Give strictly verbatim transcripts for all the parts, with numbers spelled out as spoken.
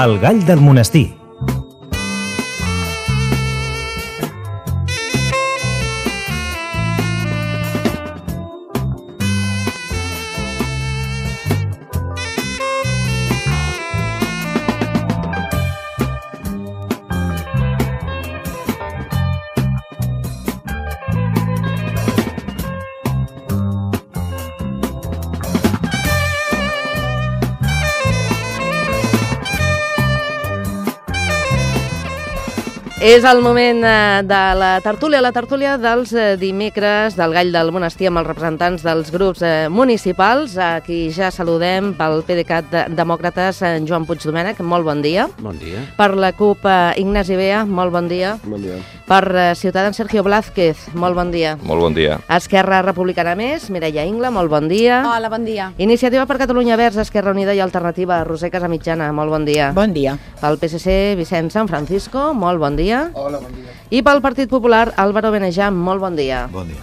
El gall del monestir. És el moment de la tertúlia, la tertúlia dels dimecres del Gall del Monestir amb els representants dels grups municipals. Aquí ja saludem pel PDeCAT Demòcrates, Joan Puigdomènech, molt bon dia. Bon dia. Per la CUP, Ignasi Bea, molt bon dia. Bon dia. Per Ciutadans, Sergio Blázquez, molt bon dia. Molt bon dia. Esquerra Republicana Més, Mireia Ingla, molt bon dia. Hola, bon dia. Iniciativa per Catalunya Verds, Esquerra Unida i Alternativa, Roser Casamitjana, molt bon dia. Bon dia. Pel P S C, Vicent San Francisco, molt bon dia. Hola, bon dia. I pel Partit Popular, Álvaro Benejam, molt bon dia. Bon dia.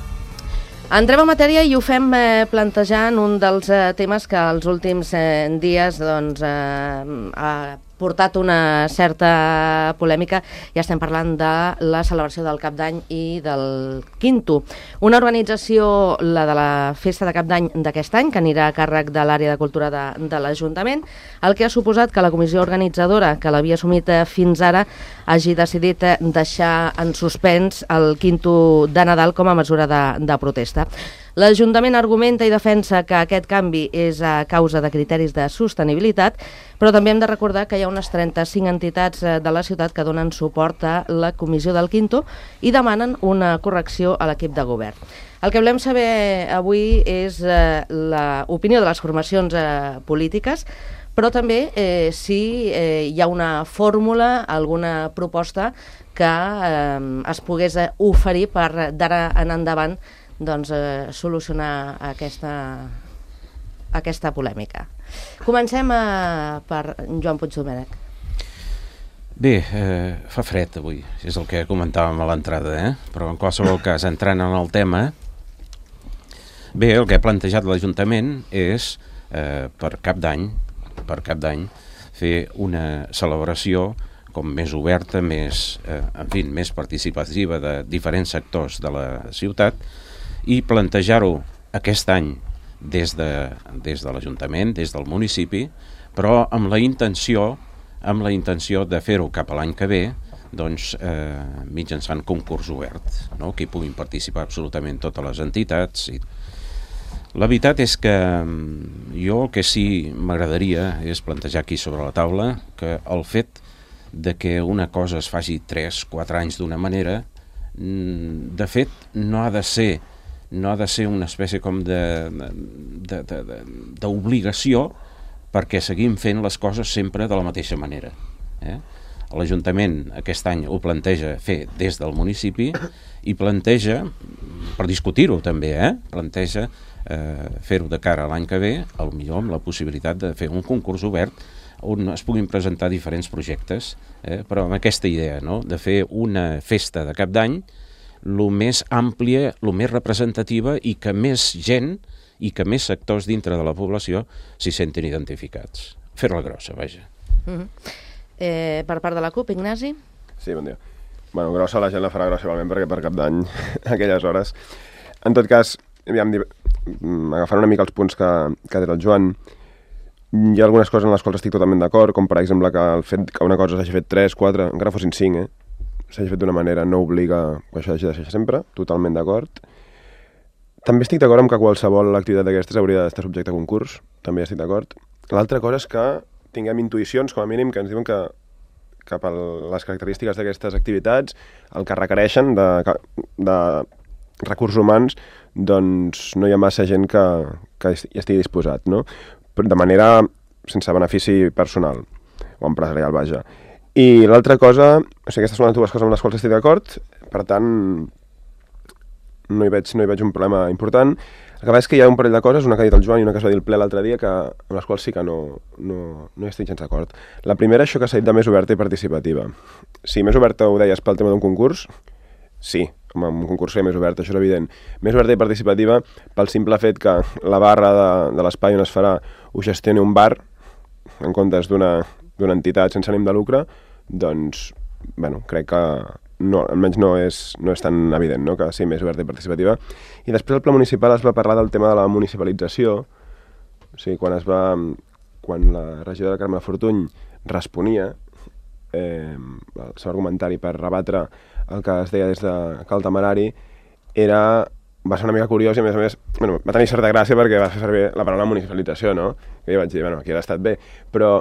Entrem a matèria i ho fem eh, plantejant un dels eh, temes que els últims eh, dies doncs, eh, ha portat una certa polèmica. Ja estem parlant de la celebració del Cap d'Any i del Quinto. Una organització, la de la Festa de Cap d'Any d'aquest any, que anirà a càrrec de l'àrea de cultura de, de l'Ajuntament, el que ha suposat que la comissió organitzadora, que l'havia assumit fins ara, hagi decidit deixar en suspens el Quinto de Nadal com a mesura de, de protesta. L'Ajuntament argumenta i defensa que aquest canvi és a causa de criteris de sostenibilitat, però també hem de recordar que hi ha unes trenta-cinc entitats de la ciutat que donen suport a la comissió del Quinto i demanen una correcció a l'equip de govern. El que volem saber avui és eh, l'opinió de les formacions eh, polítiques, però també eh, si eh, hi ha una fórmula, alguna proposta que eh, es pogués oferir per d'ara en endavant doncs, eh, solucionar aquesta, aquesta polèmica. Comencem a, per Joan Puigdomènech. Bé, eh, fa fred avui, és el que comentàvem a l'entrada, eh? Però en qualsevol cas, entrant en el tema, bé, el que ha plantejat l'Ajuntament és, eh, per Cap d'Any, per Cap d'Any, fer una celebració com més oberta, més, eh, en fi, més participativa de diferents sectors de la ciutat, i plantejar-ho aquest any des de, des de l'Ajuntament, des del municipi, però amb la intenció, amb la intenció de fer-ho cap a l'any que ve, doncs, eh, mitjançant concurs obert, no? Que hi puguin participar absolutament totes les entitats. I... La veritat és que jo el que sí m'agradaria és plantejar aquí sobre la taula que el fet de que una cosa es faci tres quatre anys d'una manera, de fet, no ha de ser no ha de ser una espècie com d'obligació perquè seguim fent les coses sempre de la mateixa manera. Eh? L'Ajuntament aquest any ho planteja fer des del municipi i planteja, per discutir-ho també, eh? planteja eh, fer-ho de cara a l'any que ve, potser amb la possibilitat de fer un concurs obert on es puguin presentar diferents projectes, eh? però amb aquesta idea, no? De fer una festa de Cap d'Any el més àmplia, el més representativa i que més gent i que més sectors dintre de la població s'hi sentin identificats. Fer-la grossa, vaja. Uh-huh. eh, per part de la CUP, Ignasi? Sí, bon dia. Bueno, grossa la gent la farà grossa igualment perquè per Cap d'Any, aquelles hores. En tot cas, aviam, agafant una mica els punts que, que ha dit el Joan, hi ha algunes coses en les quals estic totalment d'acord, com per exemple que el fet que una cosa s'hagi fet tres, quatre, encara fossin cinc, eh? s'hagi fet d'una manera, no obliga que això hagi de ser sempre, totalment d'acord. També estic d'acord amb que qualsevol activitat d'aquestes hauria d'estar subjecte a concurs, també estic d'acord. L'altra cosa és que tinguem intuïcions, com a mínim, que ens diuen que, que per les característiques d'aquestes activitats, el que requereixen de, de recursos humans, doncs no hi ha massa gent que, que hi estigui disposat, no? De manera sense benefici personal o empresarial, vaja. I l'altra cosa, o sigui, aquestes són les dues coses amb les quals estic d'acord, per tant, no hi veig, no hi veig un problema important. El que passa és que hi ha un parell de coses, una que ha dit el Joan i una que es va dir el ple l'altre dia, que, amb les quals sí que no, no, no hi estic gens d'acord. La primera, això que s'ha dit de més oberta i participativa. Si més oberta ho deies pel tema d'un concurs, sí, home, un concurs que més oberta, això és evident. Més oberta i participativa pel simple fet que la barra de, de l'espai on es farà ho gestioni un bar, en comptes d'una d'una entitat sense ànim de lucre, doncs, bueno, crec que no, almenys no és, no és tan evident, no?, que sigui més oberta i participativa. I després el pla municipal es va parlar del tema de la municipalització, o sigui, quan es va, quan la regidora Carme Fortuny responia eh, el seu argumentari per rebatre el que es deia des de Cal Temerari, era, va ser una mica curiós i a més a més, bueno, va tenir certa gràcia perquè va fer servir la paraula municipalització, no? Que jo vaig dir, bueno, aquí ha estat bé, però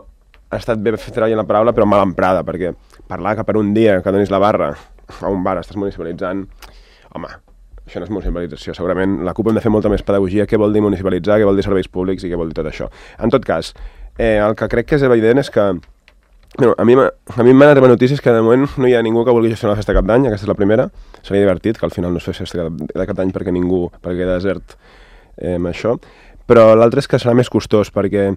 ha estat bé fer treballar la paraula però mal emprada, perquè parlar que per un dia que donis la barra a un bar estàs municipalitzant, home, això no és municipalització. Segurament la CUP hem de fer molta més pedagogia, què vol dir municipalitzar, què vol dir serveis públics i què vol dir tot això. En tot cas, eh, el que crec que és evident és que bueno, a mi a mi m'han arribat notícies que de moment no hi ha ningú que vulgui gestionar la festa de Cap d'Any, aquesta és la primera. Seria divertit que al final no es fes festa de Cap d'Any perquè ningú, perquè queda desert eh, amb això, però l'altre és que serà més costós perquè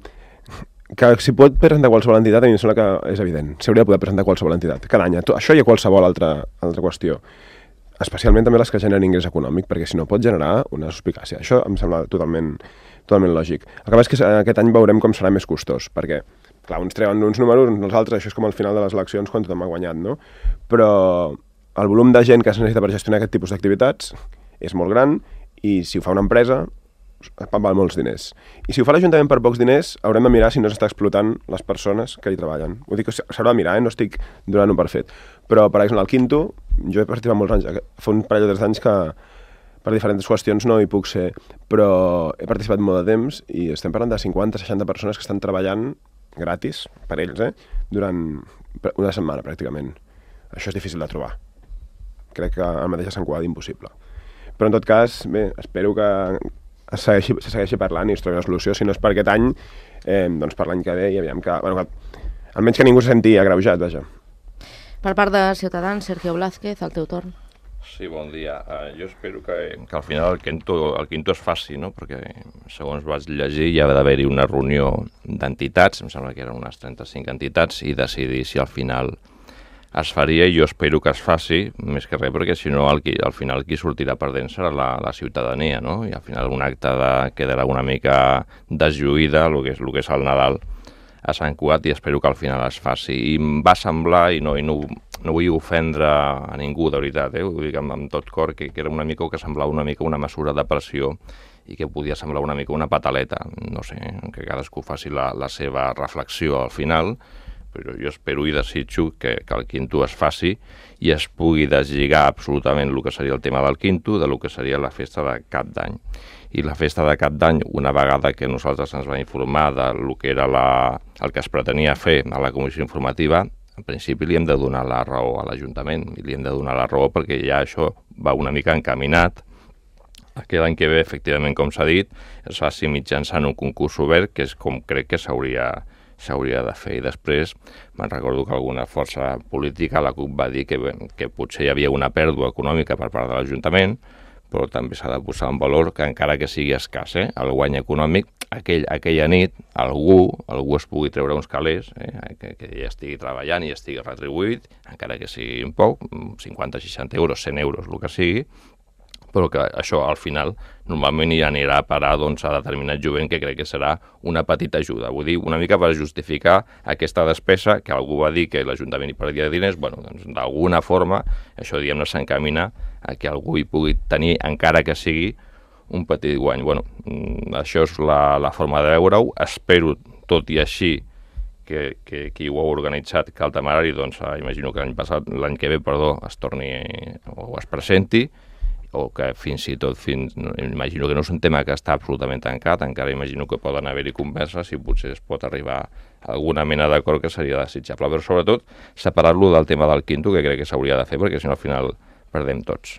que si pot presentar qualsevol entitat, a mi em sembla que és evident, s'hauria de poder presentar qualsevol entitat cada any, això hi ha qualsevol altra, altra qüestió, especialment també les que generen ingrés econòmic, perquè si no pot generar una suspicàcia. Això em sembla totalment, totalment lògic. El que passa és que aquest any veurem com serà més costós, perquè clar, uns treuen uns números, uns els altres, això és com al final de les eleccions quan tothom ha guanyat, no? Però el volum de gent que es necessita per gestionar aquest tipus d'activitats és molt gran i si ho fa una empresa val molts diners. I si ho fa l'Ajuntament per pocs diners, haurem de mirar si no s'està explotant les persones que hi treballen. Ho dic que s'haurà de mirar, eh? No estic donant-ho per fet. Però, per exemple, al Quinto, jo he participat molts anys, fa un parell de tres anys que per diferents qüestions no hi puc ser, però he participat molt de temps i estem parlant de cinquanta seixanta persones que estan treballant gratis, per ells, eh? Durant una setmana, pràcticament. Això és difícil de trobar. Crec que el mateix a Sant Cugat impossible. Però, en tot cas, bé, espero que es segueixi, se segueixi parlant i es trobi una solució, si no és per aquest any, eh, doncs per l'any que ve, i aviam que, bueno, que almenys que ningú se senti agreujat, vaja. Per part de Ciutadans, Sergio Blázquez, el teu torn. Sí, bon dia. Uh, jo espero que, que al final el quinto, el quinto es faci, no? Perquè, segons vaig llegir, hi ha d'haver-hi una reunió d'entitats, em sembla que eren unes trenta-cinc entitats, i decidir si al final es faria, i jo espero que es faci, més que res, perquè si no, al, al final qui sortirà perdent serà la, la ciutadania, no? I al final un acte de, quedarà una mica deslluïda, el que és, el que és el Nadal a Sant Cugat, i espero que al final es faci. I em va semblar, i no, i no, no vull ofendre a ningú, de veritat, eh? Ho dic amb, amb tot cor, que, que era una mica, que semblava una mica una mesura de pressió i que podia semblar una mica una pataleta, no sé, que cadascú faci la, la seva reflexió al final, però jo espero i desitjo que, que el Quinto es faci i es pugui deslligar absolutament el que seria el tema del Quinto de lo que seria la festa de Cap d'Any. I la festa de Cap d'Any, una vegada que nosaltres ens vam informar de lo que era la, el que es pretenia fer a la comissió informativa, en principi li hem de donar la raó a l'Ajuntament, i li hem de donar la raó perquè ja això va una mica encaminat a que l'any que ve, efectivament, com s'ha dit, es faci mitjançant un concurs obert, que és com crec que s'hauria s'hauria de fer. I després me'n recordo que alguna força política, la CUP, va dir que, que potser hi havia una pèrdua econòmica per part de l'Ajuntament, però també s'ha de posar en valor que encara que sigui escàs, eh, el guany econòmic, aquell, aquella nit algú, algú es pugui treure uns calés, eh, que, que ja estigui treballant i estigui retribuït, encara que sigui un poc, cinquanta, seixanta euros, cent euros, el que sigui, però que això al final normalment hi anirà a parar doncs, a determinat jovent, que crec que serà una petita ajuda. Vull dir, una mica per justificar aquesta despesa, que algú va dir que l'Ajuntament hi perdia diners, bueno, doncs d'alguna forma això, diguem-ne, s'encamina a que algú hi pugui tenir, encara que sigui, un petit guany. Bueno, això és la, la forma de veure-ho. Espero, tot i així, que, que qui ho ha organitzat, Cal Temerari, doncs imagino que l'any passat, l'any que ve, perdó, es torni o es presenti, o que fins i tot, fins, imagino que no és un tema que està absolutament tancat, encara imagino que poden haver-hi converses i potser es pot arribar a alguna mena d'acord que seria desitjable, però sobretot separar-lo del tema del Quinto, que crec que s'hauria de fer, perquè si no al final perdem tots.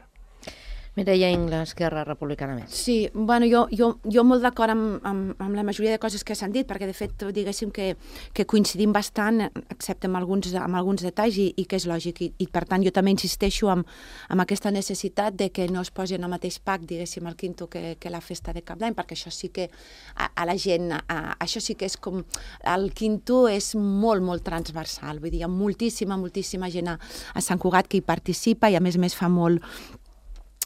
Mireia Ingles, Esquerra Republicana Més. Sí, bueno, jo, jo, jo molt d'acord amb, amb, amb la majoria de coses que s'han dit, perquè de fet, diguéssim que, que coincidim bastant, excepte amb alguns, amb alguns detalls, i, i que és lògic, i, i per tant jo també insisteixo amb, amb aquesta necessitat de que no es posi en el mateix pack, diguéssim, el Quinto que, que la festa de Cap d'Any, perquè això sí que a, a la gent, a, això sí que és com, el Quinto és molt, molt transversal, vull dir, hi ha moltíssima, moltíssima gent a, a Sant Cugat que hi participa i a més a més fa molt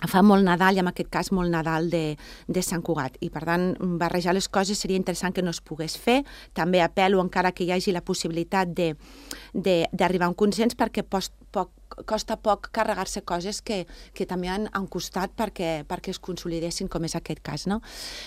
fa molt Nadal, i en aquest cas molt Nadal de, de Sant Cugat. I, per tant, barrejar les coses seria interessant que no es pogués fer. També apel·lo, encara que hi hagi la possibilitat d'arribar a un consens, perquè post, poc, costa poc carregar-se coses que, que també han, han costat perquè, perquè es consolidessin, com és aquest cas, no?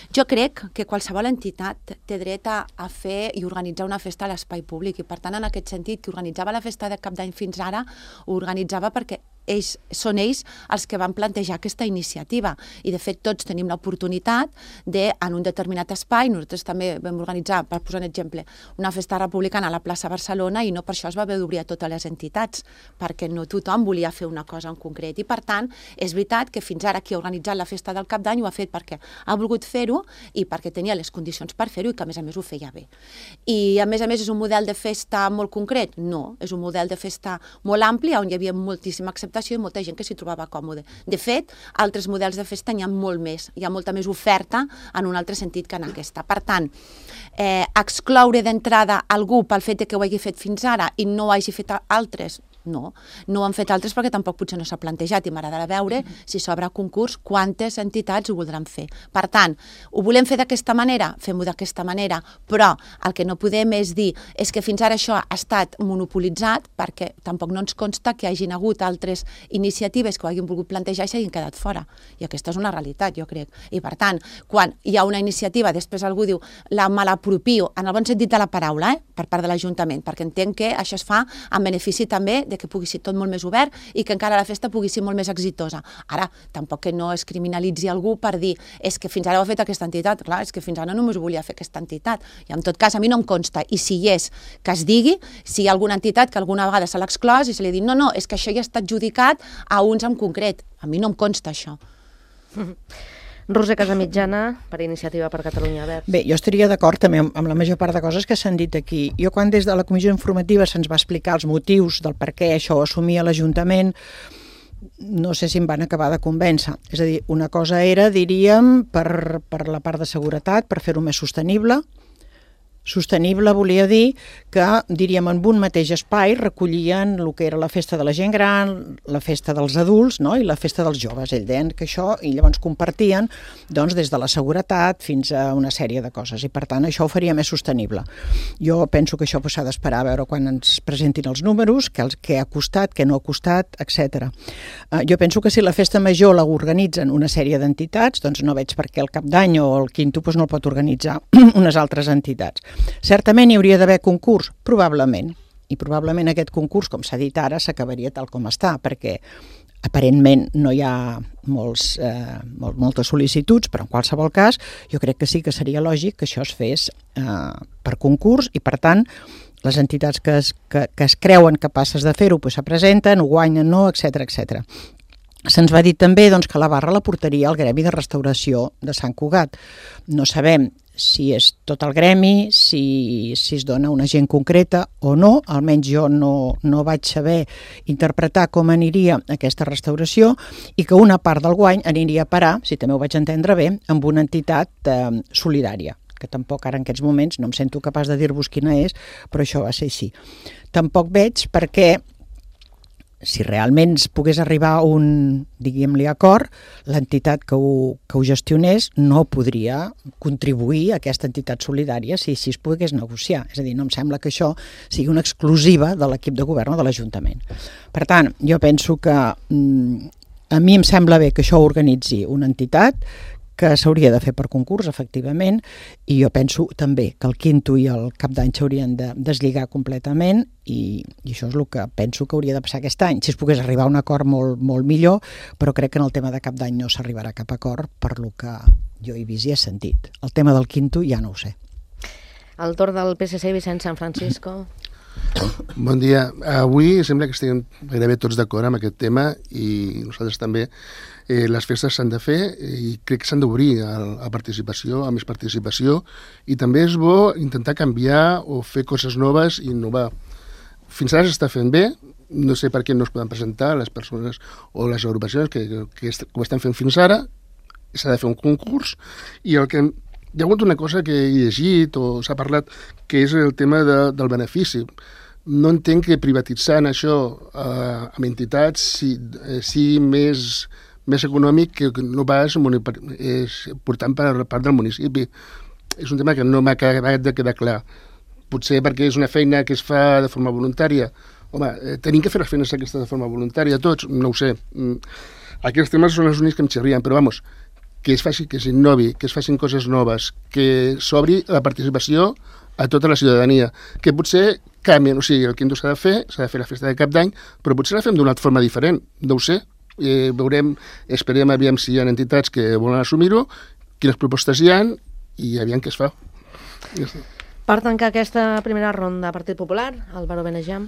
Jo crec que qualsevol entitat té dret a, a fer i organitzar una festa a l'espai públic, i, per tant, en aquest sentit, qui organitzava la festa de Cap d'Any fins ara, ho organitzava perquè ells, són ells els que van plantejar aquesta iniciativa, i de fet tots tenim l'oportunitat de, en un determinat espai, nosaltres també vam organitzar, per posar un exemple, una festa republicana a la plaça Barcelona, i no per això es va haver d'obrir a totes les entitats, perquè no tothom volia fer una cosa en concret, i per tant és veritat que fins ara qui ha organitzat la festa del Cap d'Any ho ha fet perquè ha volgut fer-ho i perquè tenia les condicions per fer-ho, i que a més a més ho feia bé. I a més a més és un model de festa molt concret? No, és un model de festa molt ampli, on hi havia moltíssima acceptació i molta gent que s'hi trobava còmode. De fet, altres models de festa n'hi ha molt més, hi ha molta més oferta en un altre sentit que en aquesta. Per tant, eh, excloure d'entrada algú pel fet que ho hagi fet fins ara i no ho hagi fet altres, no. No ho han fet altres perquè tampoc potser no s'ha plantejat, i m'agradarà veure si s'obre concurs quantes entitats ho voldran fer. Per tant, ho volem fer d'aquesta manera? Fem-ho d'aquesta manera, però el que no podem és dir és que fins ara això ha estat monopolitzat, perquè tampoc no ens consta que hi hagin hagut altres iniciatives que ho hagin volgut plantejar i s'hagin quedat fora. I aquesta és una realitat, jo crec. I per tant, quan hi ha una iniciativa, després algú diu la malapropio, en el bon sentit de la paraula, eh? Per part de l'Ajuntament, perquè entenc que això es fa en benefici també de que pugui ser tot molt més obert i que encara la festa pugui ser molt més exitosa. Ara, tampoc que no es criminalitzi algú per dir és que fins ara ho ha fet aquesta entitat. Clar, és que fins ara només ho volia fer aquesta entitat. I en tot cas, a mi no em consta. I si hi és, que es digui, si hi ha alguna entitat que alguna vegada se l'ha exclòs i se li ha dit no, no, és que això ja està adjudicat a uns en concret. A mi no em consta això. Roser Casamitjana, per Iniciativa per Catalunya Verds. Bé, jo estaria d'acord també amb, amb la major part de coses que s'han dit aquí. Jo quan des de la comissió informativa se'ns va explicar els motius del per què això ho assumia l'Ajuntament, no sé si em van acabar de convèncer. És a dir, una cosa era, diríem, per, per la part de seguretat, per fer-ho més sostenible. Sostenible volia dir que, diríem, en un mateix espai recollien el que era la festa de la gent gran, la festa dels adults, no? I la festa dels joves. Ells deien que això, i llavors compartien doncs, des de la seguretat fins a una sèrie de coses, i per tant això ho faria més sostenible. Jo penso que això s'ha d'esperar a veure quan ens presentin els números, què, què ha costat, què no ha costat, etcètera. Uh, jo penso que si la festa major la organitzen una sèrie d'entitats, doncs no veig per què el Cap d'Any o el Quinto doncs no el pot organitzar unes altres entitats. Certament hi hauria d'haver concurs? Probablement. I probablement aquest concurs, com s'ha dit ara, s'acabaria tal com està, perquè aparentment no hi ha molts, eh, molt, moltes sol·licituds, però en qualsevol cas jo crec que sí que seria lògic que això es fes eh, per concurs, i per tant les entitats que es, que, que es creuen capaces de fer-ho pues, se presenten, ho guanyen, no, etcètera, etcètera. Se'ns va dir també doncs, que la barra la portaria al Gremi de Restauració de Sant Cugat. No sabem si és tot el gremi, si, si es dona una gent concreta o no, almenys jo no, no vaig saber interpretar com aniria aquesta restauració, i que una part del guany aniria a parar, si també ho vaig entendre bé, amb una entitat eh, solidària, que tampoc ara en aquests moments no em sento capaç de dir-vos quina és, però això va ser així. Tampoc veig perquè si realment es pogués arribar a un, diguem-li, acord, l'entitat que ho, que ho gestionés no podria contribuir a aquesta entitat solidària si, si es pogués negociar. És a dir, no em sembla que això sigui una exclusiva de l'equip de govern o de l'Ajuntament. Per tant, jo penso que mm, a mi em sembla bé que això ho organitzi una entitat, que s'hauria de fer per concurs, efectivament, i jo penso també que el Quinto i el Cap d'Any s'haurien de deslligar completament, i, i això és el que penso que hauria de passar aquest any. Si es pogués arribar a un acord molt, molt millor, però crec que en el tema de Cap d'Any no s'arribarà a cap acord per lo que jo he vist i he sentit. El tema del Quinto ja no ho sé. El torn del P S C, Vicent San Francisco. Bon dia. Avui sembla que estem gairebé tots d'acord amb aquest tema, i nosaltres també. Eh, les festes s'han de fer i crec que s'han d'obrir a, a participació, a més participació, i també és bo intentar canviar o fer coses noves i innovar. Fins ara s'està fent bé, no sé per què no es poden presentar les persones o les agrupacions que, que, que ho estan fent fins ara. S'ha de fer un concurs, i el que hi ha hagut una cosa que he llegit o s'ha parlat, que és el tema de, del benefici. No entenc que privatitzant això eh, amb entitats si, eh, si més, més econòmic que no pas és portant per part del municipi. És un tema que no m'ha acabat de quedar clar. Potser perquè és una feina que es fa de forma voluntària. Home, eh, tenim que fer les feines aquestes de forma voluntària, tots, no ho sé. Aquests temes són els únics que em xerrien, però vamos, que es faci, que s'innovi, que es facin coses noves, que s'obri la participació a tota la ciutadania, que potser canvien, o sigui, el quinto s'ha de fer, s'ha de fer la festa de cap d'any, però potser la fem d'una altra forma diferent, no ho sé, eh, veurem, esperem aviam si hi ha entitats que volen assumir-ho, quines propostes hi ha i aviam què es fa. Ja està. Per tancar aquesta primera ronda, Partit Popular, Álvaro Benejam.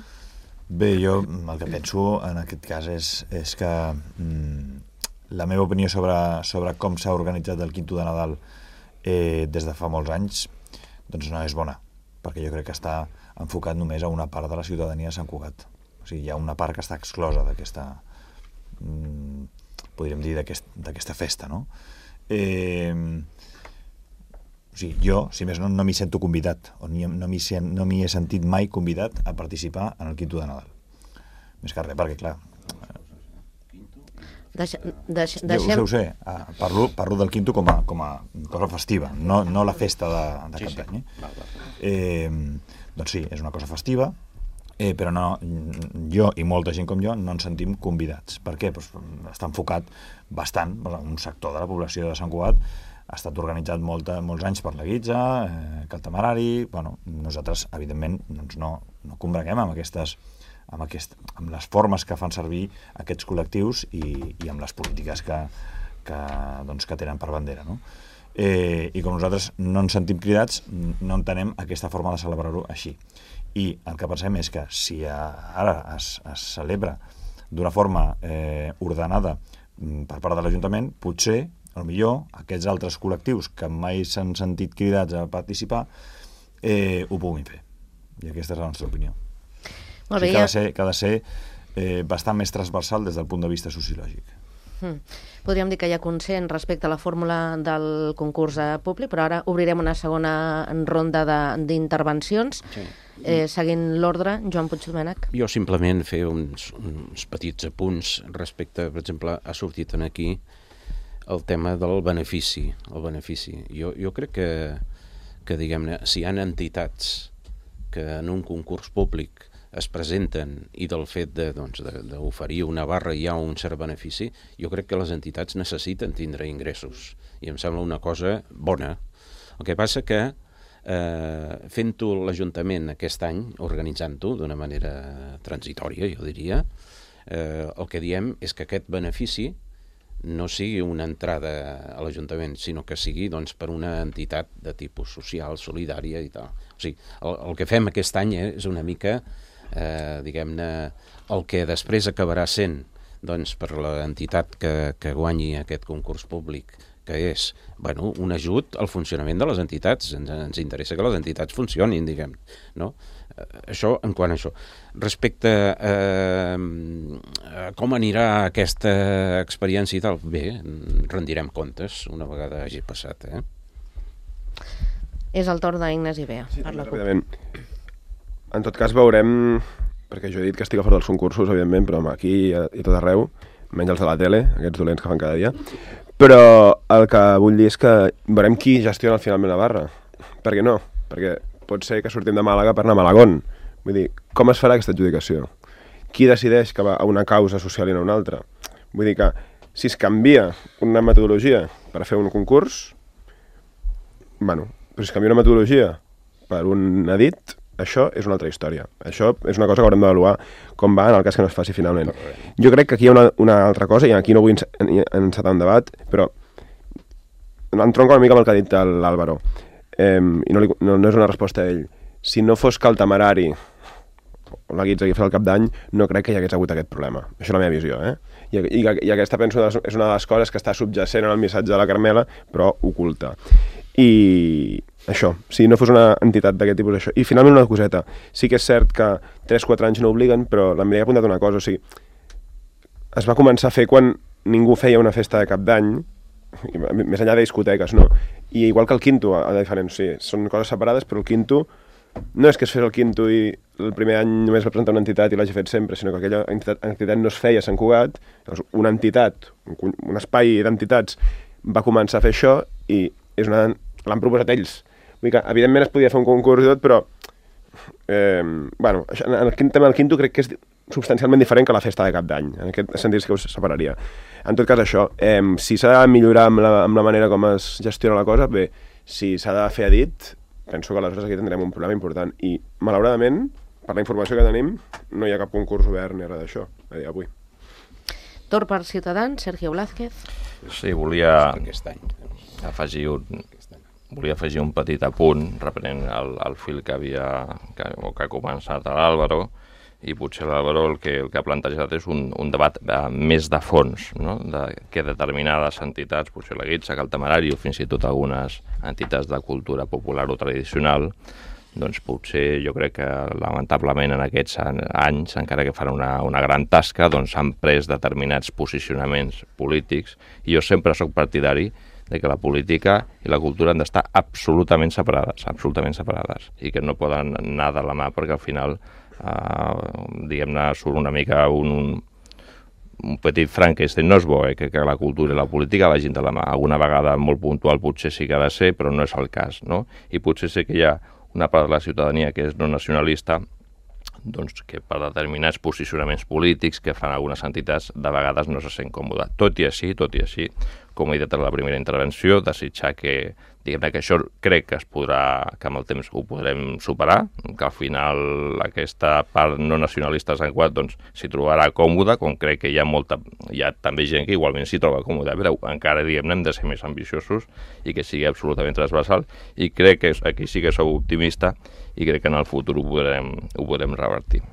Bé, jo el que penso en aquest cas és, és que mm, la meva opinió sobre, sobre com s'ha organitzat el quinto de Nadal eh, des de fa molts anys doncs no és bona, perquè jo crec que està enfocat només a una part de la ciutadania de Sant Cugat. O sigui, hi ha una part que està exclosa d'aquesta, mm, podríem dir, d'aquesta aquest, festa, no? Eh, o sigui, jo, si més no, no m'hi sento convidat, o ni, no m'hi no m'hi he sentit mai convidat a participar en el quinto de Nadal. Més que res, perquè, clar... Deixa, deix, deixem... deixem... Ho sé, ho sé. Ah, parlo, parlo del quinto com a, com a cosa festiva, no, no la festa de, de cap d'any. Eh? Eh, doncs sí, és una cosa festiva, eh, però no, jo i molta gent com jo no ens sentim convidats. Per què? Pues, està enfocat bastant, un sector de la població de Sant Cugat ha estat organitzat molta, molts anys per la Guitza, eh, que el Temerari... Bueno, nosaltres, evidentment, doncs no, no combreguem amb aquestes... Amb, aquest, amb les formes que fan servir aquests col·lectius i, i amb les polítiques que, que, doncs, que tenen per bandera, no? Eh, I com nosaltres no ens sentim cridats, no entenem aquesta forma de celebrar-ho així. I el que pensem és que si ara es, es celebra d'una forma eh, ordenada per part de l'Ajuntament, potser, potser aquests altres col·lectius que mai s'han sentit cridats a participar eh, ho puguin fer. I aquesta és la nostra opinió. Molt bé, o sigui, que ha ja... de ser, que ha de ser eh, bastant més transversal des del punt de vista sociològic. Hmm. Podríem dir que hi ha consens respecte a la fórmula del concurs públic, però ara obrirem una segona ronda d'intervencions. Sí. Eh, seguint l'ordre, Joan Puigdomènech. Jo simplement fer uns, uns petits apunts respecte, per exemple, ha sortit aquí el tema del benefici. El benefici. Jo, jo crec que, que diguem-ne, si hi ha entitats que en un concurs públic es presenten i del fet de, doncs, d'oferir una barra hi ha un cert benefici, jo crec que les entitats necessiten tindre ingressos i em sembla una cosa bona. El que passa que eh, fent-ho l'Ajuntament aquest any, organitzant-ho d'una manera transitòria, jo diria, eh, el que diem és que aquest benefici no sigui una entrada a l'Ajuntament, sinó que sigui doncs, per una entitat de tipus social, solidària i tal. O sigui, el, el que fem aquest any és una mica, eh, diguem-ne, el que després acabarà sent doncs, per l'entitat que, que guanyi aquest concurs públic, que és bueno, un ajut al funcionament de les entitats. Ens, ens interessa que les entitats funcionin, diguem, no? Això en quant a això. Respecte eh, a com anirà aquesta experiència i tal, bé, rendirem comptes una vegada hagi passat. Eh? És el torn d'Ignasi Bea. Sí, ràpidament. En tot cas veurem, perquè jo he dit que estic a favor dels concursos, evidentment, però aquí i tot arreu, menys els de la tele, aquests dolents que fan cada dia, però el que vull dir és que veurem qui gestiona finalment la barra. Per què no? Perquè pot ser que sortim de Màlaga per anar a Malagón. Vull dir, com es farà aquesta adjudicació? Qui decideix que va a una causa social i no a una altra? Vull dir que si es canvia una metodologia per fer un concurs, bueno, però si es canvia una metodologia per un edit, això és una altra història. Això és una cosa que haurem d'avaluar com va en el cas que no es faci finalment. Jo crec que aquí hi ha una, una altra cosa, i aquí no vull encetar un debat, però entronca una mica amb el que ha dit l'Àlvaro. Eh, i no, li, no, no és una resposta a ell. Si no fos que el Temerari o la Guitza que fa el cap d'any, no crec que hi hagués hagut aquest problema. Això és la meva visió, eh? I, i, i aquesta, penso, és una de les coses que està subjacent en el missatge de la Carmela, però oculta. I això, si no fos una entitat d'aquest tipus, això. I finalment una coseta. Sí que és cert que tres quatre anys no obliguen, però la Mireia ha apuntat una cosa, o sigui, es va començar a fer quan ningú feia una festa de cap d'any, més enllà de discoteques, no? I igual que el quinto, a diferents, sí, són coses separades, però el quinto no és que es fes el quinto i el primer any només va presentar una entitat i l'hagi fet sempre, sinó que aquella entitat, entitat no es feia a Sant Cugat, llavors una entitat, un, un espai d'entitats va començar a fer això i és una, l'han proposat ells. Vull dir que, evidentment, es podia fer un concurs i tot, però eh, bueno, en el tema del quinto crec que és substancialment diferent que la festa de cap d'any. En aquest sentit que us separaria. En tot cas, això, eh, si s'ha de millorar amb la, amb la manera com es gestiona la cosa, bé, si s'ha de fer a dit, penso que aleshores aquí tindrem un problema important. I, malauradament, per la informació que tenim, no hi ha cap concurs obert ni res d'això, a dia d'avui. Torn per Ciutadans, Sergio Blázquez. Sí, volia Aquest any. afegir un, volia afegir un petit apunt, reprenent el, el fil que havia que, o que ha començat l'Àlvaro, i potser l'Àlvaro el que, el que ha plantejat és un, un debat eh, més de fons, no? De que determinades entitats, potser la Guitza, que el Temerari, o fins i tot algunes entitats de cultura popular o tradicional, doncs potser jo crec que lamentablement en aquests anys, encara que fan una, una gran tasca, doncs han pres determinats posicionaments polítics, i jo sempre sóc partidari de que la política i la cultura han d'estar absolutament separades, absolutament separades, i que no poden anar de la mà, perquè al final, eh, diguem-ne, surt una mica un, un petit Frankenstein. No és bo, eh, que, que la cultura i la política vagin de la mà. Alguna vegada molt puntual potser sí que ha de ser, però no és el cas, no? I potser sí que hi ha una part de la ciutadania que és no nacionalista, doncs que per determinats posicionaments polítics que fan algunes entitats de vegades no se sent còmode. Tot i així, tot i així, com he dit en la primera intervenció, desitjar que, diguem-ne, que això crec que es podrà, que amb el temps ho podrem superar, que al final aquesta part no nacionalista de Sant Cugat doncs s'hi trobarà còmoda, com crec que hi ha molta, hi ha també gent que igualment s'hi troba còmoda, però encara, diguem-ne, hem de ser més ambiciosos i que sigui absolutament transversal, i crec que aquí sí que sou optimista i crec que en el futur ho podrem, ho podrem revertir.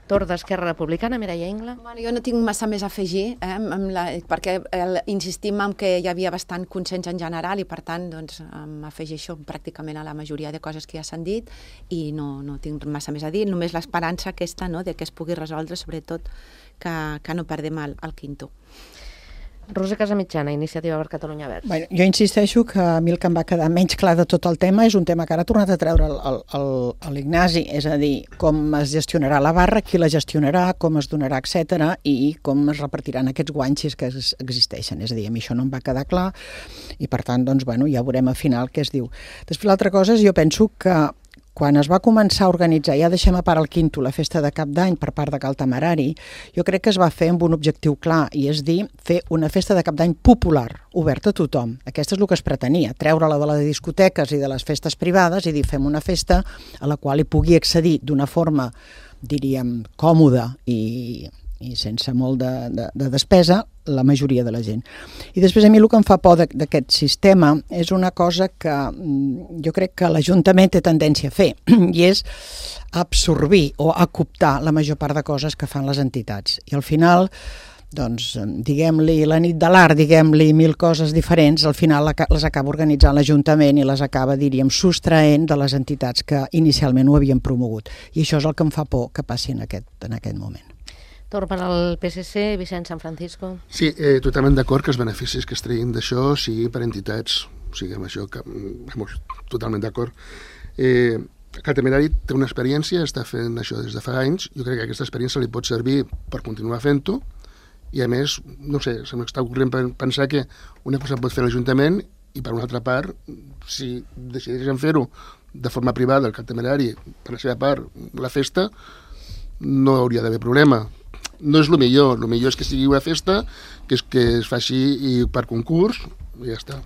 Torn d'Esquerra Republicana, Mireia Ingla. Bueno, jo no tinc massa més a afegir, eh, amb la, perquè el, insistim en que hi havia bastant consens en general i, per tant, doncs, m'afegeixo pràcticament a la majoria de coses que ja s'han dit i no, no tinc massa més a dir, només l'esperança aquesta, no?, de que es pugui resoldre, sobretot que, que no perdem el, el quinto. Roser Casamitjana, Iniciativa per Catalunya Verds. Bueno, jo insisteixo que a mi el que em va quedar menys clar de tot el tema és un tema que ara ha tornat a treure l'Ignasi, és a dir, com es gestionarà la barra, qui la gestionarà, com es donarà, etcètera, i com es repartiran aquests guanys que existeixen. És a dir, a mi això no em va quedar clar i, per tant, doncs, bueno, ja veurem al final què es diu. Després, l'altra cosa és, jo penso que quan es va començar a organitzar, ja deixem a part el quinto, la festa de cap d'any per part de Cal Temerari, jo crec que es va fer amb un objectiu clar, i és dir, fer una festa de cap d'any popular, oberta a tothom. Aquesta és el que es pretenia, treure-la de les discoteques i de les festes privades i dir, fem una festa a la qual hi pugui accedir d'una forma, diríem, còmoda i, i sense molt de, de, de despesa, la majoria de la gent. I després a mi el que em fa por d'aquest sistema és una cosa que jo crec que l'Ajuntament té tendència a fer, i és absorbir o acoptar la major part de coses que fan les entitats. I al final, doncs, diguem-li la nit de l'art, diguem-li mil coses diferents, al final les acaba organitzant l'Ajuntament i les acaba, diríem, sostraent de les entitats que inicialment ho havien promogut. I això és el que em fa por que passi en aquest, en aquest moment. Torn per al P S C, Vicent San Francisco. Sí, eh, totalment d'acord que els beneficis que es treguin d'això siguin per entitats, o sigui, amb això que, vamos, totalment d'acord. Eh, Cal Temerari té una experiència, està fent això des de fa anys, jo crec que aquesta experiència li pot servir per continuar fent-ho, i a més, no sé, se m'està ocorrent pensar que una cosa pot fer l'Ajuntament i per una altra part, si decideixen fer-ho de forma privada, el Cal Temerari, per la seva part, la festa, no hauria d'haver problema. No és el millor, el millor és que sigui una festa, que, és, que es faci i per concurs, i ja està.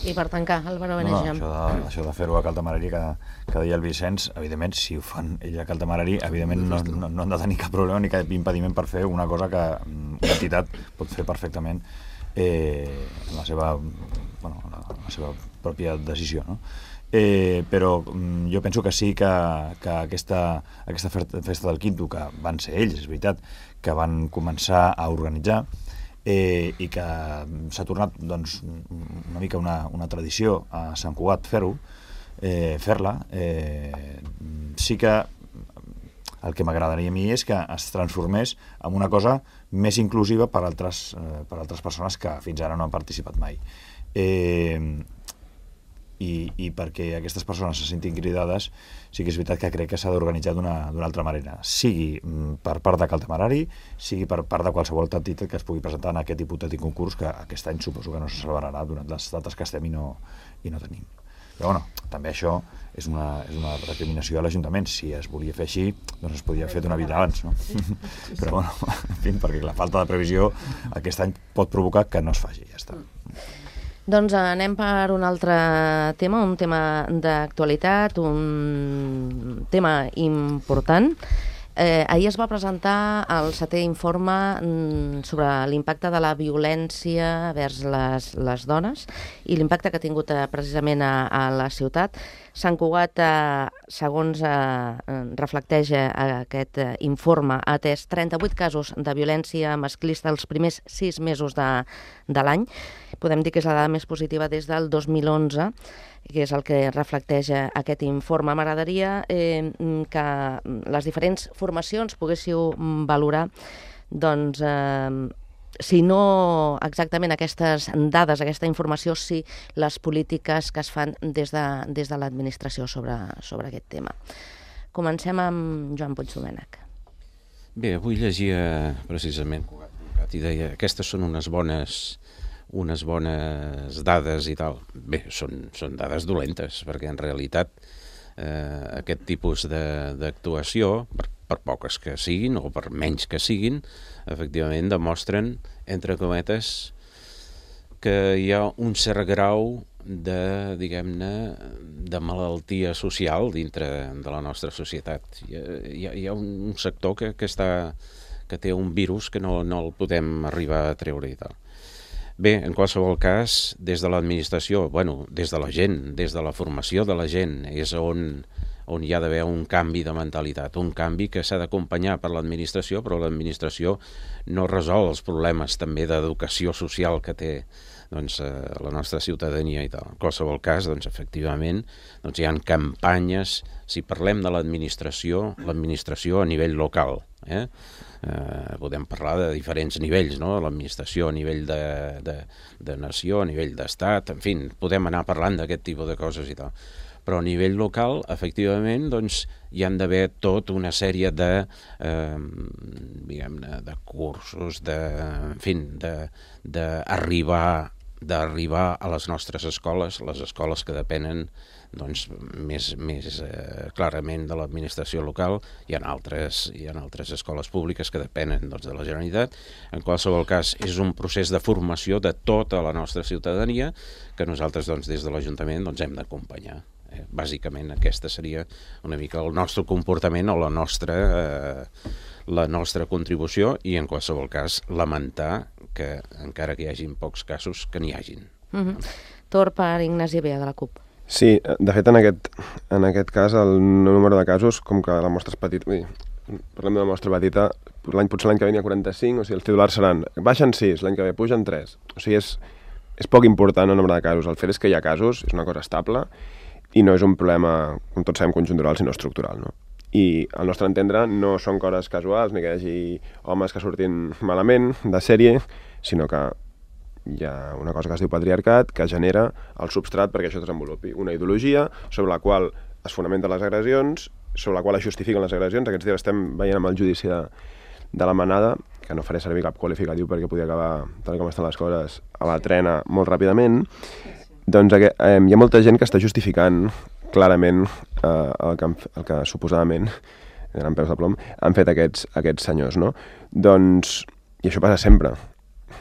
I per tancar, Álvaro Benejam. No, no, això de, això de fer-ho a Cal Temerari, que, que deia el Vicenç, evidentment, si ho fan ell a Cal Temerari, evidentment no, no, no han de tenir cap problema ni cap impediment per fer una cosa que una entitat pot fer perfectament eh, en la seva, bueno, la, la seva pròpia decisió, no? Eh, però mm, jo penso que sí que, que aquesta, aquesta festa del quinto, que van ser ells, és veritat, que van començar a organitzar eh, i que s'ha tornat doncs, una mica una, una tradició a Sant Cugat fer-ho, eh, fer-la, eh, sí que el que m'agradaria a mi és que es transformés en una cosa més inclusiva per altres, eh, per altres persones que fins ara no han participat mai. Eh, i, i perquè aquestes persones se sentin cridades, sí que és veritat que crec que s'ha d'organitzar d'una altra manera, sigui per part de Cal Temerari, sigui per part de qualsevol entitat que es pugui presentar en aquest hipotètic concurs, que aquest any suposo que no se celebrarà durant les dates que estem i no, i no tenim. Però bueno, també això és una, és una recriminació a l'Ajuntament. Si es volia fer així, doncs es podia haver fet una vida abans, no? Però bueno, en fi, perquè la falta de previsió aquest any pot provocar que no es faci, ja està. Doncs anem per un altre tema, un tema d'actualitat, un tema important. Eh, ahir es va presentar el setè informe sobre l'impacte de la violència vers les, les dones i l'impacte que ha tingut eh, precisament a, a la ciutat. Sant Cugat, eh, segons eh, reflecteix eh, aquest eh, informe, ha atès trenta-vuit casos de violència masclista els primers sis mesos de, de l'any. Podem dir que és la dada més positiva des del dos mil onze, que és el que reflecteix aquest informe. M'agradaria eh, que les diferents formacions poguéssiu valorar, doncs, eh, si no exactament aquestes dades, aquesta informació, si les polítiques que es fan des de, des de l'administració sobre, sobre aquest tema. Comencem amb Joan Puigdomènech. Bé, avui llegia precisament, i deia, aquestes són unes bones unes bones dades i tal. Bé, són, són dades dolentes, perquè en realitat eh, aquest tipus d'actuació, per, per poques que siguin o per menys que siguin, efectivament demostren, entre cometes, que hi ha un cert grau de, diguem-ne, de malaltia social dintre de la nostra societat. Hi ha, hi ha un sector que, que, està, que té un virus que no, no el podem arribar a treure i tal. Bé, en qualsevol cas, des de l'administració, bueno, des de la gent, des de la formació de la gent, és on, on hi ha d'haver un canvi de mentalitat, un canvi que s'ha d'acompanyar per l'administració, però l'administració no resol els problemes també d'educació social que té doncs, eh, la nostra ciutadania i tal. En qualsevol cas, doncs, efectivament, doncs, hi ha campanyes, si parlem de l'administració, l'administració a nivell local, eh? Eh, podem parlar de diferents nivells, no? L'administració a nivell de, de, de nació, a nivell d'estat, en fi, podem anar parlant d'aquest tipus de coses i tal. Però a nivell local, efectivament, doncs, hi han d'haver tota una sèrie de, eh, diguem-ne, de cursos, de, en fi, d'arribar d'arribar a les nostres escoles, les escoles que depenen doncs, més, més eh, clarament de l'administració local. Hi ha altres, hi ha altres escoles públiques que depenen doncs, de la Generalitat. En qualsevol cas, és un procés de formació de tota la nostra ciutadania que nosaltres doncs, des de l'Ajuntament doncs, hem d'acompanyar. Eh, bàsicament aquesta seria una mica el nostre comportament o la nostra, eh, la nostra contribució i en qualsevol cas lamentar que encara que hi hagin pocs casos, que n'hi hagin. Mm-hmm. Torn per Ignasi Bea, de la CUP. Sí, de fet en aquest, en aquest cas el número de casos, com que la mostra és petita, parlem d'una mostra petita, l'any potser l'any que ve n'hi ha quaranta-cinc, o sigui, els titulars seran baixen sis, l'any que ve pugen tres. O sigui, és, és poc important el nombre de casos. El fet és que hi ha casos, és una cosa estable, i no és un problema, com tots sabem, conjuntural, sinó estructural, no? I al nostre entendre no són coses casuals, ni que hi hagi homes que surtin malament de sèrie, sinó que hi ha una cosa que es diu patriarcat que genera el substrat perquè això es desenvolupi. Una ideologia sobre la qual es fonamenten les agressions, sobre la qual es justifiquen les agressions. Aquests dies estem veient amb el judici de, de la Manada, que no faré servir cap qualificatiu perquè podia acabar, tal com estan les coses, a la trena molt ràpidament. Doncs eh, hi ha molta gent que està justificant clarament eh, el, que, el que suposadament, eren peus de plom, han fet aquests, aquests senyors, no? Doncs, i això passa sempre.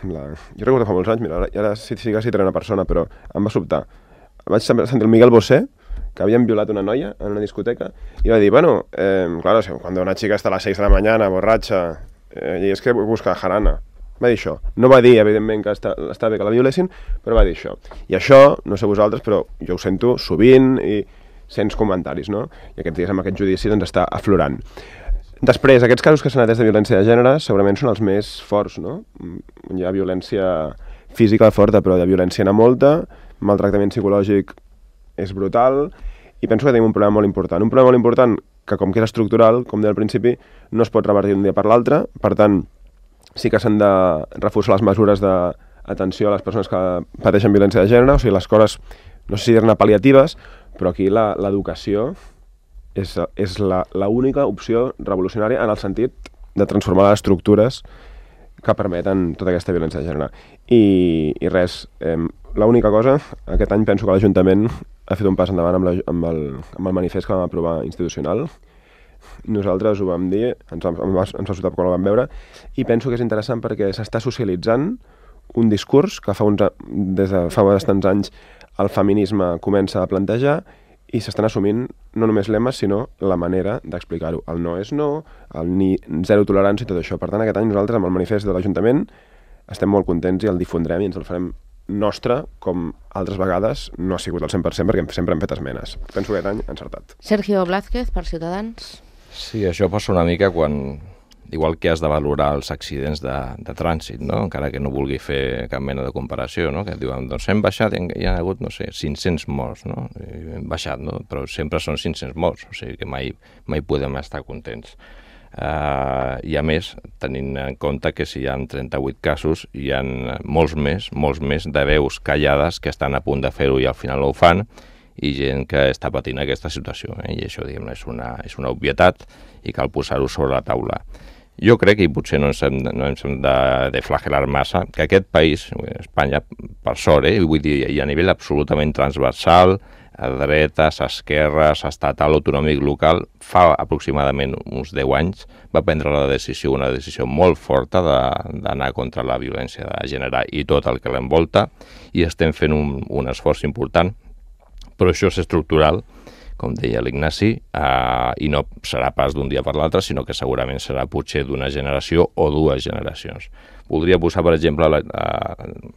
La... Jo recordo fa molts anys, mira, ara, ara sí, sí que citaré una persona, però em va sobtar. Vaig sentir el Miguel Bosé, que havien violat una noia en una discoteca, i va dir, bueno, eh, claro, cuando una chica está a las seis de la mañana, borratxa, eh, i és que busca jarana. Va dir això. No va dir, evidentment, que està, està bé que la violessin, però va dir això. I això, no sé vosaltres, però jo ho sento sovint i sents comentaris, no? I aquests dies amb aquest judici doncs està aflorant. Després, aquests casos que s'han atès de violència de gènere segurament són els més forts, no? Hi ha violència física forta, però de violència n'hi ha molta, maltractament psicològic és brutal, i penso que tenim un problema molt important. Un problema molt important que, com que és estructural, com deia al principi, no es pot revertir d'un dia per l'altre, per tant, sí que s'han de reforçar les mesures d'atenció a les persones que pateixen violència de gènere, o sigui, les coses no sé si dir-ne pal·liatives, però aquí l'educació és, és l'única opció revolucionària en el sentit de transformar les estructures que permeten tota aquesta violència de gènere. I, i res, eh, l'única cosa, aquest any penso que l'Ajuntament ha fet un pas endavant amb, la, amb, el, amb el manifest que vam aprovar institucional. Nosaltres ho vam dir, ens, ens va sobtar quan ho vam veure, i penso que és interessant perquè s'està socialitzant un discurs que fa uns, des de fa bastants anys el feminisme comença a plantejar i s'estan assumint no només lemes, sinó la manera d'explicar-ho. El no és no, el ni zero tolerància i tot això. Per tant, aquest any nosaltres, amb el manifest de l'Ajuntament, estem molt contents i el difondrem i ens el farem nostre, com altres vegades no ha sigut al cent per cent perquè sempre hem fet esmenes. Penso que aquest any encertat. Sergio Blázquez, per Ciutadans. Sí, això passa una mica quan, igual que has de valorar els accidents de, de trànsit, no? Encara que no vulgui fer cap mena de comparació, no? Que et diuen, doncs hem baixat, hi ha hagut, no sé, cinc-cents morts, no? I hem baixat, no? Però sempre són cinc-cents morts, o sigui que mai, mai podem estar contents. Uh, I a més, tenint en compte que si hi ha trenta-vuit casos, hi ha molts més, molts més de veus callades que estan a punt de fer-ho i al final no ho fan, i gent que està patint aquesta situació, eh? I això, diguem, és una, és una obvietat i cal posar-ho sobre la taula. Jo crec que potser no ens hem, no ens hem de, de flagelar massa, que aquest país, Espanya, per sort, eh, vull dir, i a nivell absolutament transversal, a dretes, a esquerres, estatal, autonòmic, local, fa aproximadament uns deu anys va prendre la decisió, una decisió molt forta d'anar contra la violència de gènere i tot el que l'envolta, i estem fent un, un esforç important, però això és estructural, com deia l'Ignasi, eh, i no serà pas d'un dia per l'altre, sinó que segurament serà potser d'una generació o dues generacions. Voldria posar, per exemple, la, eh,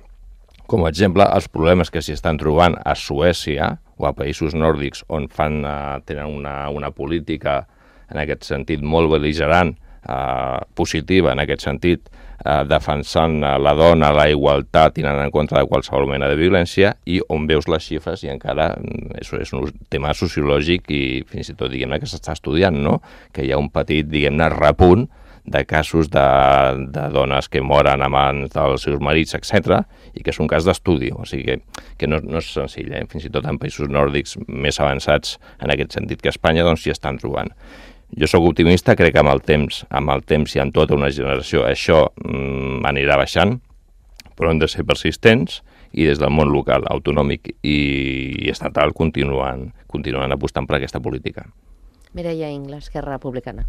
com a exemple, els problemes que s'hi estan trobant a Suècia o a països nòrdics on fan, eh, tenen una, una política en aquest sentit molt bel·ligerant, eh, positiva en aquest sentit, eh, defensant la dona, la igualtat, i anant en contra de qualsevol mena de violència, i on veus les xifres i encara això és un tema sociològic i fins i tot, diguem-ne, que s'està estudiant, no? Que hi ha un petit, diguem-ne, repunt de casos de, de dones que moren a mans dels seus marits, etcètera, i que és un cas d'estudi, o sigui que, que no, no és senzill, eh? Fins i tot en països nòrdics més avançats en aquest sentit que Espanya, doncs s'hi estan trobant. Jo sóc optimista, crec que amb el temps, amb el temps i en tota una generació això mm, anirà baixant, però hem de ser persistents i des del món local, autonòmic i, i estatal continuen, continuen apostant per aquesta política. Mireia Ingles, Esquerra Republicana.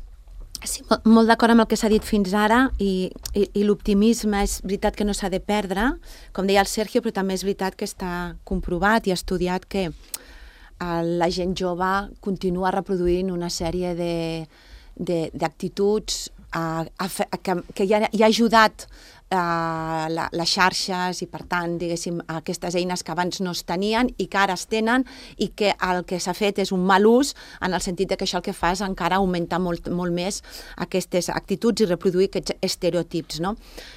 Sí, molt d'acord amb el que s'ha dit fins ara i, i, i l'optimisme és veritat que no s'ha de perdre, com deia el Sergio, però també és veritat que està comprovat i estudiat que la gent jove continua reproduint una sèrie d'actituds que, que ja, ja ha ajudat Uh, la, les xarxes i, per tant, diguéssim, aquestes eines que abans no es tenien i que ara es tenen i que el que s'ha fet és un mal ús en el sentit de que això el que fa és encara augmentar molt, molt més aquestes actituds i reproduir aquests estereotips, no?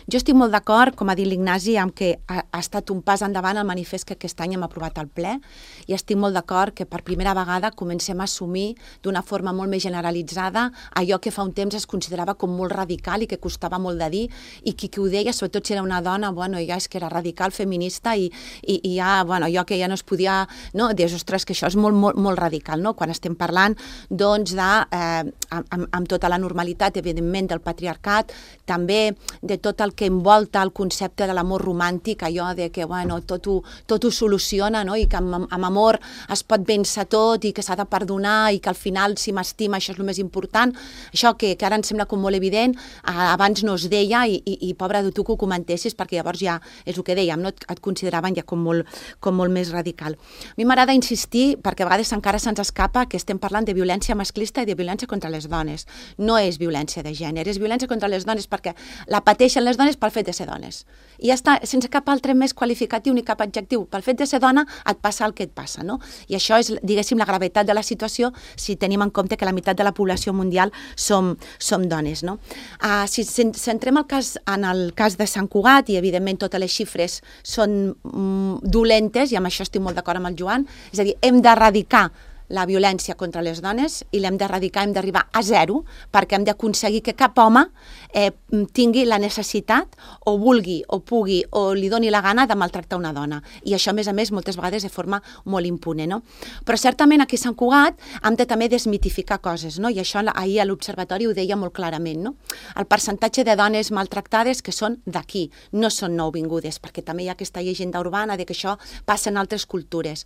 Jo estic molt d'acord, com ha dit l'Ignasi, amb que ha, ha estat un pas endavant el manifest que aquest any hem aprovat al ple i estic molt d'acord que per primera vegada comencem a assumir d'una forma molt més generalitzada allò que fa un temps es considerava com molt radical i que costava molt de dir i qui, qui ho deia, sobretot si era una dona, bueno, ja és que era radical, feminista i, i, i ja, bueno, jo que ja no es podia, no, dius, ostres, que això és molt, molt, molt radical, no? Quan estem parlant, doncs, de, eh, amb, amb tota la normalitat, evidentment, del patriarcat, també de tot el que envolta el concepte de l'amor romàntic, allò de que, bueno, tot ho, tot ho soluciona, no? I que amb, amb amor es pot vèncer tot i que s'ha de perdonar i que al final, si m'estima, això és el més important. Això que, que ara em sembla com molt evident, eh, abans no es deia i, i, i pobra de tu que ho comentessis, perquè llavors ja és el que dèiem, no? Et, et consideraven ja com molt, com molt més radical. A mi m'agrada insistir, perquè a vegades encara se'ns escapa que estem parlant de violència masclista i de violència contra les dones. No és violència de gènere, és violència contra les dones perquè la pateixen les dones pel fet de ser dones. I ja està, sense cap altre més qualificatiu ni cap adjectiu. Pel fet de ser dona et passa el que et passa, no? I això és, diguéssim, la gravetat de la situació si tenim en compte que la meitat de la població mundial som, som dones, no? Uh, si centrem el cas, en el cas de Sant Cugat, i evidentment totes les xifres són mm, dolentes, i amb això estic molt d'acord amb el Joan, és a dir, hem d'erradicar la violència contra les dones i l'hem d'erradicar, hem d'arribar a zero, perquè hem d'aconseguir que cap home eh, tingui la necessitat o vulgui o pugui o li doni la gana de maltractar una dona. I això, a més a més, moltes vegades de forma molt impune, no? Però certament aquí a Sant Cugat hem de també desmitificar coses, no? I això ahir a l'Observatori ho deia molt clarament, no? El percentatge de dones maltractades que són d'aquí, no són nouvingudes, perquè també hi ha aquesta llegenda urbana de que això passa en altres cultures.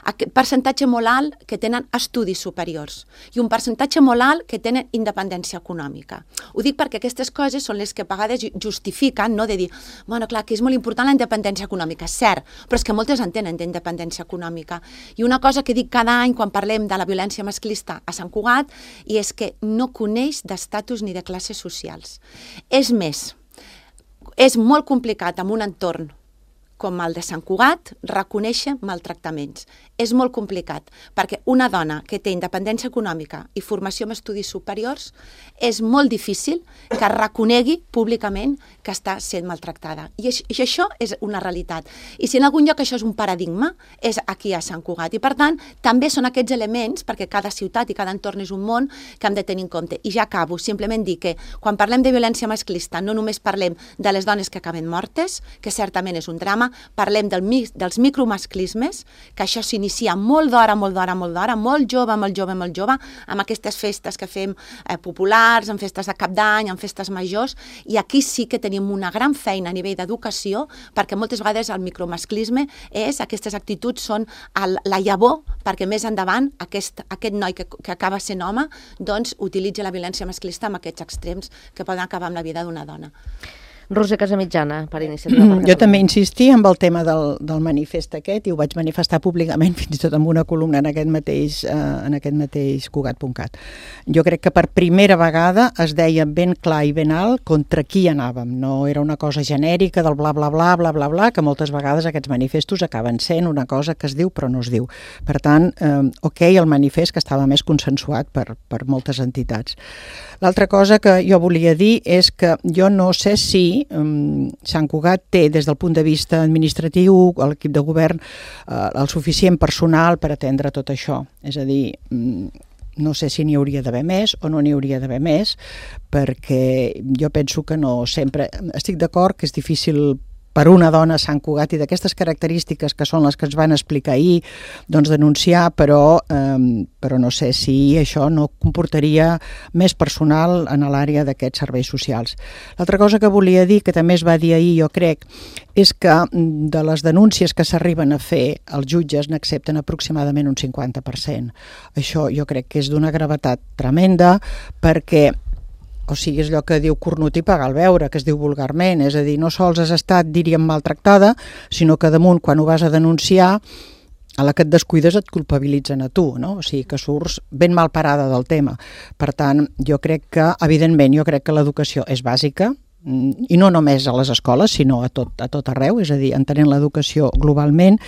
Aquest percentatge molt alt que tenen estudis superiors i un percentatge molt alt que tenen independència econòmica. Ho dic perquè aquestes coses són les que a vegades justifiquen, no?, de dir, bueno, clar, que és molt important la independència econòmica, cert, però és que moltes en tenen d'independència econòmica. I una cosa que dic cada any quan parlem de la violència masclista a Sant Cugat i és que no coneix d'estatus ni de classes socials. És més, és molt complicat en un entorn com el de Sant Cugat, reconèixer maltractaments. És molt complicat, perquè una dona que té independència econòmica i formació en estudis superiors és molt difícil que reconegui públicament que està sent maltractada. I això és una realitat. I si en algun lloc això és un paradigma, és aquí a Sant Cugat. I per tant, també són aquests elements, perquè cada ciutat i cada entorn és un món, que hem de tenir en compte. I ja acabo, simplement dir que quan parlem de violència masclista no només parlem de les dones que acaben mortes, que certament és un drama, parlem del, dels micromasclismes, que això s'inicia molt d'hora, molt d'hora, molt d'hora, molt jove, molt jove, molt jove, amb aquestes festes que fem eh, populars, en festes de cap d'any, en festes majors, i aquí sí que tenim una gran feina a nivell d'educació, perquè moltes vegades el micromasclisme és, aquestes actituds són el, la llavor, perquè més endavant aquest, aquest noi que, que acaba sent home, doncs utilitza la violència masclista amb aquests extrems que poden acabar amb la vida d'una dona. Roser Casamitjana, per iniciativa. Per jo també insistia amb el tema del, del manifest aquest i ho vaig manifestar públicament fins i tot amb una columna en aquest mateix, eh, en aquest mateix Cugat punt cat. Jo crec que per primera vegada es deia ben clar i ben alt contra qui anàvem. No era una cosa genèrica del bla bla bla bla bla bla, que moltes vegades aquests manifestos acaben sent una cosa que es diu però no es diu. Per tant, eh, ok, el manifest que estava més consensuat per, per moltes entitats. L'altra cosa que jo volia dir és que jo no sé si Um, Sant Cugat té, des del punt de vista administratiu, l'equip de govern, uh, el suficient personal per atendre tot això. És a dir, um, no sé si n'hi hauria d'haver més o no n'hi hauria d'haver més, perquè jo penso que no sempre... Estic d'acord que és difícil per una dona a Sant Cugat i d'aquestes característiques que són les que ens van explicar ahir, doncs denunciar, però, eh, però no sé si això no comportaria més personal en l'àrea d'aquests serveis socials. L'altra cosa que volia dir, que també es va dir ahir, jo crec, és que de les denúncies que s'arriben a fer, els jutges n'accepten aproximadament un cinquanta per cent. Això jo crec que és d'una gravetat tremenda, perquè o sigui, és allò que diu cornut i pagar el beure, que es diu vulgarment, és a dir, no sols has estat, diríem, maltractada, sinó que damunt, quan ho vas a denunciar, a la que et descuides et culpabilitzen a tu, no? O sigui, que surts ben mal parada del tema. Per tant, jo crec que, evidentment, jo crec que l'educació és bàsica, i no només a les escoles, sinó a tot, a tot arreu, és a dir, entenent l'educació globalment,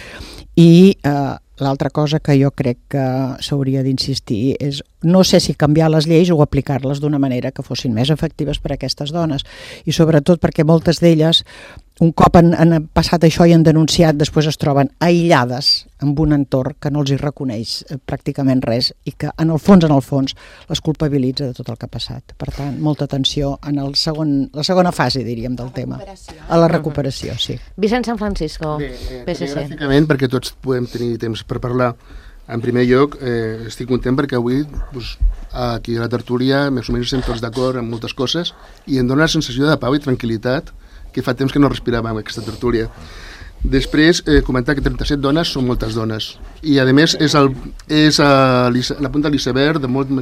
i eh, l'altra cosa que jo crec que s'hauria d'insistir és, no sé si canviar les lleis o aplicar-les d'una manera que fossin més efectives per a aquestes dones, i sobretot perquè moltes d'elles, un cop han, han passat això i han denunciat, després es troben aïllades amb un entorn que no els hi reconeix pràcticament res i que en el fons, en el fons, les culpabilitza de tot el que ha passat. Per tant, molta atenció en el segon, la segona fase, diríem, del tema. A la recuperació, sí. Vicent San Francisco, Bé, eh, P S C. Gràficament, perquè tots podem tenir temps per parlar. En primer lloc, eh, estic content perquè avui doncs, aquí a la tertúlia més o menys estem tots d'acord en moltes coses i em dona la sensació de pau i tranquil·litat que fa temps que no respiràvem aquesta tertúlia. Després, eh, comentar que trenta-set dones són moltes dones i a més és, el, és a, la punta de l'iceberg de molts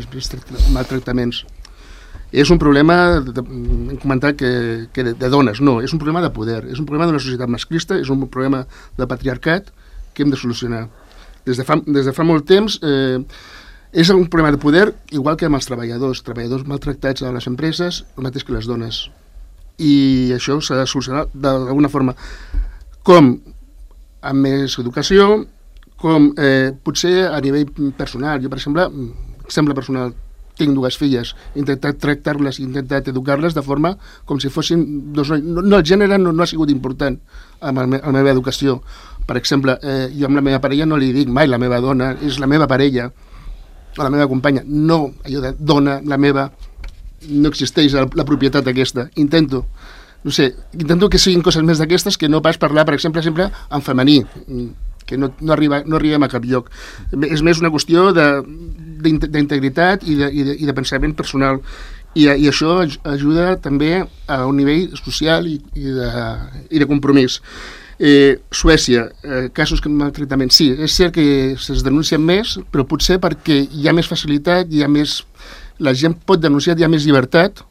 maltractaments. És un problema, hem comentat que, que de, de dones, no, és un problema de poder, és un problema d'una societat masclista, és un problema de patriarcat que hem de solucionar. Des de fa, des de fa molt temps eh, és un problema de poder, igual que amb els treballadors, treballadors maltractats a les empreses, el mateix que les dones. I això s'ha de solucionar d'alguna forma, com amb més educació, com eh, potser a nivell personal. Jo, per exemple, exemple personal, tinc dues filles, he intentat tractar-les, he intentat educar-les de forma com si fossin dos nois. No, no, el gènere no, no ha sigut important en la, la meva educació. Per exemple, eh, jo amb la meva parella no li dic mai la meva dona, és la meva parella. o la meva companya, no, allò de dona, la meva, no existeix la, la propietat aquesta. Intento, no sé, intento que siguin coses més d'aquestes que no pas parlar, per exemple, sempre en femení, que no, no, arriba, no arribem a cap lloc. És més una qüestió d'integritat i, de, i, de, i de pensament personal. I, i això ajuda també a un nivell social i, i, de, i de compromís. Eh, Suècia, eh, casos de maltractament, sí, és cert que se'ls denuncien més, però potser perquè hi ha més facilitat, hi ha més, la gent pot denunciar, hi ha més llibertat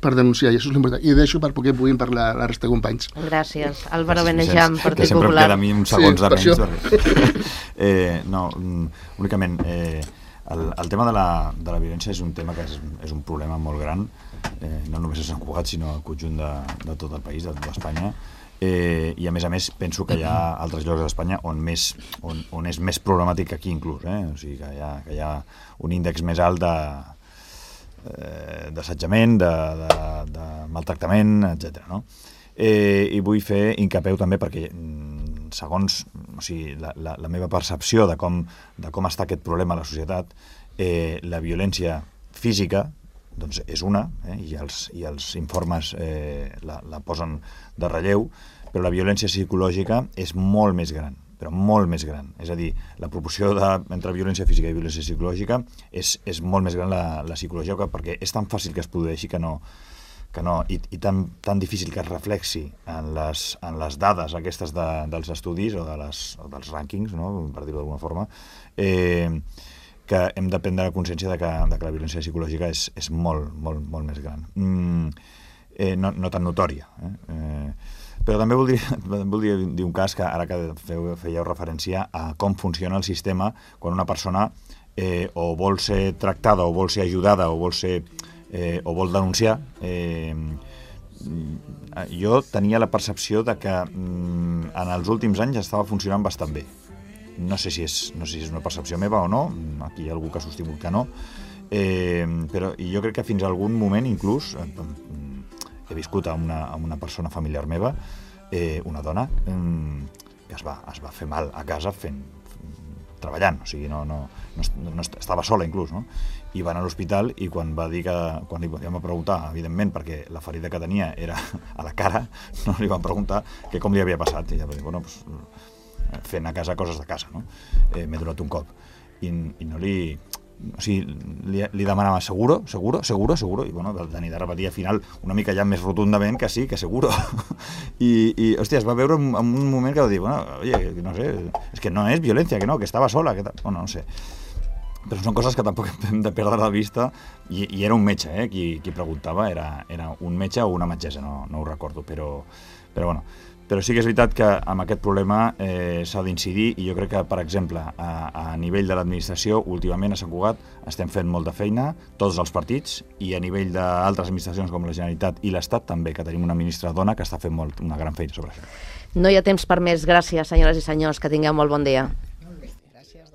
per denunciar, i això és l'important. I deixo per poder puguin parlar la resta de companys. Gràcies. Álvaro Benejam, Partit Popular. Que sempre Popular. em queda a mi uns segons Sí, de per menys. eh, no, únicament, eh, el, el tema de la, de la violència és un tema que és, és un problema molt gran, eh, no només a Sant Cugat, sinó al conjunt de, de tot el país, de tota Espanya. Eh, i a més a més penso que hi ha altres llocs d'Espanya on, més, on, on és més problemàtic que aquí inclús, eh? O sigui que hi ha, que hi ha un índex més alt de eh, d'assetjament, de, de, de maltractament, etcètera. No? Eh, I vull fer incapeu també perquè segons o sigui, la, la, la meva percepció de com, de com està aquest problema a la societat, eh, la violència física doncs és una, eh, i, els, i els informes eh, la, la posen de relleu, però la violència psicològica és molt més gran, però molt més gran. És a dir, la proporció de, entre violència física i violència psicològica és, és molt més gran la, la psicològica, perquè és tan fàcil que es produeixi que no, que no i, i tan, tan difícil que es reflexi en les, en les dades aquestes de, dels estudis o, de les, o dels rànquings, no? Per dir-ho d'alguna forma, eh, que hem de prendre consciència de que, de que la violència psicològica és, és molt, molt, molt més gran. Mm, eh, no, no tan notòria. Eh? Eh, però també voldria, voldria dir un cas que ara que feu, fèieu referència a com funciona el sistema quan una persona eh, o vol ser tractada o vol ser ajudada o vol, ser, eh, o vol denunciar. Eh, jo tenia la percepció de que mm, en els últims anys estava funcionant bastant bé. No sé si és, no sé si és una percepció meva o no, aquí hi ha algú que ha sostingut que no, eh, però jo crec que fins a algun moment inclús eh, he viscut amb una, amb una persona familiar meva, eh, una dona eh, que es va, es va fer mal a casa fent, treballant, o sigui, no, no, no, no estava sola inclús, no? I va anar a l'hospital i quan va dir que, quan li vam preguntar, evidentment, perquè la ferida que tenia era a la cara, no li van preguntar que com li havia passat, i ella va dir, bueno, doncs, fent a casa coses de casa, no? Eh, m'he donat un cop. I, i no li... O sigui, li, li demanava seguro, seguro, seguro, seguro, i bueno, el tenir de repetir al final una mica ja més rotundament que sí, que seguro. I, i hòstia, es va veure en, en un moment que va dir, bueno, oye, no sé, és que no és violència, que no, que estava sola, que tal. Bueno, no sé. Però són coses que tampoc hem de perdre de vista, i, i era un metge, eh, qui, qui preguntava, era, era un metge o una metgessa, no, no ho recordo, però, però bueno, però sí que és veritat que amb aquest problema eh, s'ha d'incidir, i jo crec que, per exemple, a, a nivell de l'administració, últimament a Sant Cugat estem fent molta feina, tots els partits, i a nivell d'altres administracions com la Generalitat i l'Estat també, que tenim una ministra dona que està fent molt, una gran feina sobre això. No hi ha temps per més. Gràcies, senyores i senyors, que tingueu molt bon dia.